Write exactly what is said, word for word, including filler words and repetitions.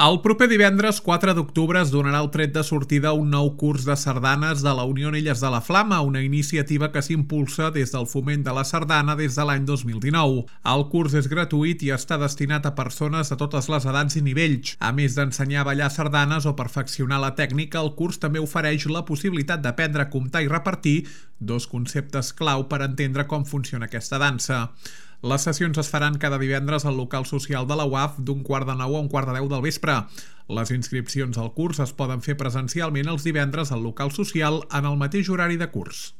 El proper divendres quatre d'octubre es donarà el tret de sortida a un nou curs de sardanes de la Unió Illes de la Flama, una iniciativa que s'impulsa des del Foment de la Sardana des de l'any dos mil dinou. El curs és gratuït i està destinat a persones de totes les edats i nivells. A més d'ensenyar a ballar sardanes o perfeccionar la tècnica, el curs també ofereix la possibilitat d'aprendre a comptar i repartir, dos conceptes clau per entendre com funciona aquesta dansa. Les sessions es faran cada divendres al local social de la U A F d'un quart de nou a un quart de deu del vespre. Les inscripcions al curs es poden fer presencialment els divendres al local social en el mateix horari de curs.